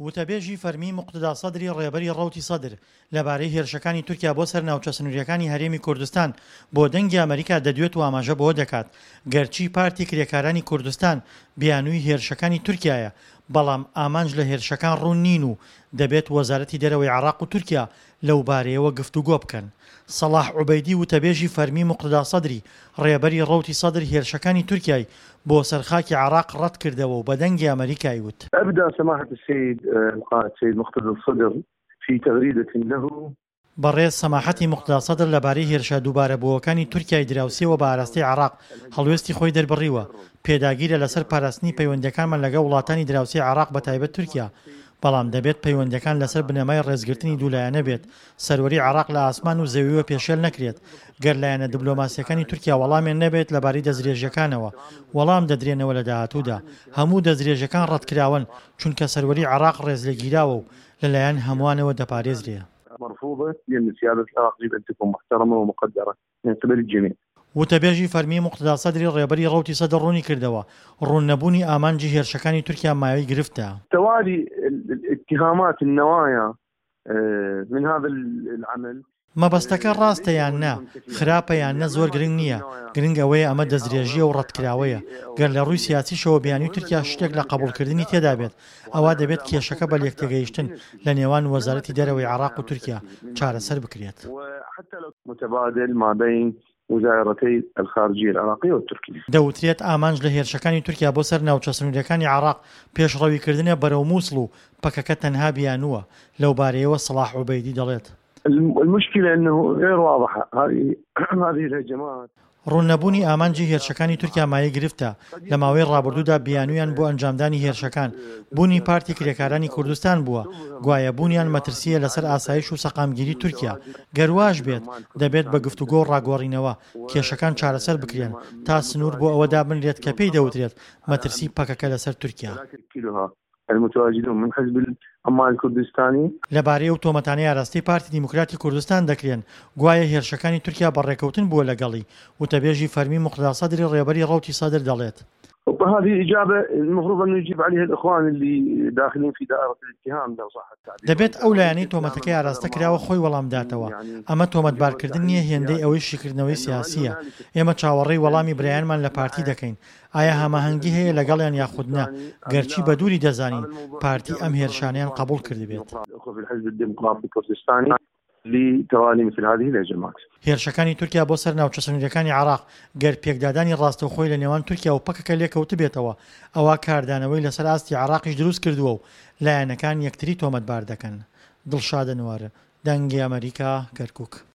وتەبێژی فەرمیی موقتەدا سەدری ڕێبەری ڕەوتی سەدر لەبارەی هێرشەکانی تورکیا بۆ سەر ناوچە سنوورییەکانی هەرێمی کوردستان بۆ دەنگی ئەمەریکا دەدوێت و ئاماژە بەوە دەکات گەرچی پارتی کرێکارانی کوردستان بیانووی هێرشەکانی تورکیایە بەڵام ئامانج لە هێرشەکان ڕوون نین و دەبێت وەزارەتی دەرەوەی عێراق و تورکیا لەوبارەیەوە گفتوگۆ بکەن. سەڵاح عوبەیدی وتەبێژی فەرمی موقتەدا سەدری ڕێبەری ڕەوتی سەدر هێرشەکانی تورکیای بۆ سەر خاکی عێراق ڕەتکردەوە و بە دەنگی ئەمەریکای وت. أبدى سماحة السيد القائد سيد مقتدى الصدر في تغريدة له. بەڕێز سەماحەتی موقتەدا سەدر لەبارەی هێرشە دووبارەبووەکانی تورکیای دراوسێوە بە ئاراستەی عێراق هەڵوێستی خۆی دەربڕیوە، پێداگیرە لەسەر پاراستنی پەیوەندییەکانمان لەگەڵ وڵاتانی دراوسێی عێراق بەتایبەت تورکیا، بەڵام دەبێت پەیوەندییەکان لەسەر بنەمای ڕێزگرتنی دوولایەنە بێت، سەروەری عێراق لە ئاسمان و زەویوە پێشێل نەکرێت، گەر لایەنە دبلۆماسییەکانی تورکیا وەڵامیان نەبێت لەبارەی دەستدرێژییەکانەوە، وەڵام دەدرێنەوە لە داهاتوودا. هەموو دەستدرێژیەکان ڕەتکراوەن، چونکە سەروەری عێراق ڕێزلێگیراوە و لەلایەن هەمووانەوە دەپارێزرێ. مرفوضە لان سیادە العراق يجب ان تكون محترمە ومقدرە من قبل الجميع. وتەبێژی فەرمیی موقتەدا سەدری ڕێبەری ڕەوتی سەدر ڕوونیکردەوە، ڕوون نەبوونی ئامانجی هێرشەکانی تورکیا مایەی گرفتە. توالی الاتهامات النوایا من هذا العمل. مەبەستەکە ڕاستە یان نا، خراپە یان نە زۆر گرنگ نییە، گرنگ ئەوەیە ئەمە دەستدرێژییە و ڕەتکراوەیە، گەر لە ڕووی سیاسیشەوە بیانووی تورکیا شتێک لە قەبوڵکردنی تێدا بێت، ئەوا دەبێت کێشەکە بە لێکتێگەیشتن لە نێوان وەزارەتی دەرەوەی عێراق و تورکیا چارەسەر بکرێت. متبادل ما بین وزارتي الخارجية العراقية والتركية. دەوترێت ئامانج لە هێرشەکانی تورکیا بۆ سەر ناوچە سنوورییەکانی عێراق پێشڕەویکردنە بەرەو موسڵ و پەکەکە تەنها بیانووە، لەوبارەیەوە سەڵاح عوبەیدی دەڵێت. المشکلە انه غیر واضحە هذه الهجمات. ڕوون نەبوونی ئامانجی هێرشەکانی تورکیا مایەی گرفتە، لە ماوەی ڕابردوودا بیانوویان بۆ ئەنجامدانی هێرشەکان، بوونی پارتی کرێکارانی کوردستان بووە، گوایە بوونیان مەترسییە لەسەر ئاسایش و سەقامگیری تورکیا، گەر واش بێت، دەبێت بە گفتوگۆ و ڕاگۆڕینەوە، کێشەکان چارەسەر بکرێن، تا سنوور بۆ ئەوە دابنرێت کە پێی دەوترێت مەترسی پەکەکە لەسەر تورکیا. المتواجدون من حزب العمال الكردستانی. لەبارەی ئەو تۆمەتانەی ئاراستەی پارتی دیموکراتی کوردستان دەکرێن، گوایە هێرشەکانی تورکیا بە ڕێکەوتن بووە لەگەڵی، وتەبێژی فەرمی موقتەدا سەدری ڕێبەری ڕەوتی سەدر دەڵێت. وهذه اجابة المفروض ان يجيب عليها الاخوان اللي داخلين في دائرة الاتهام لو صح التعبير. دەبێت ئەو لایەنەی تۆمەتەکەی ئاراستە کراوە خۆی وەڵام بداتەوە، ئەمە تۆمەتبارکردن نییە هێندەی ئەوەی شیکردنەوەی سیاسییە، ئێمە چاوەڕێی وەڵامی برایانمان لە پارتی دەکەین، ئایا هەماهەنگی هەیە لەگەڵیان یاخود نا، گەرچی بە دووری دەزانین پارتی ئەم هێرشانەیان قەبوڵ کردبێت. هێرشەکانی تورکیا بۆ سەر ناوچە سنوورییەکانی عێراق، گەر پێکدادانی ڕاستەوخۆی لە نێوان تورکیا و پەکەکە لێکەوتبێتەوە، ئەوا کاردانەوەی لەسەر ئاستی عێراقیش دروست کردووە و لایەنەکان یەکتری تۆمەتبار دەکەن. دڵشاد ئەنوەر، دەنگی ئەمەریکا، کەرکوک.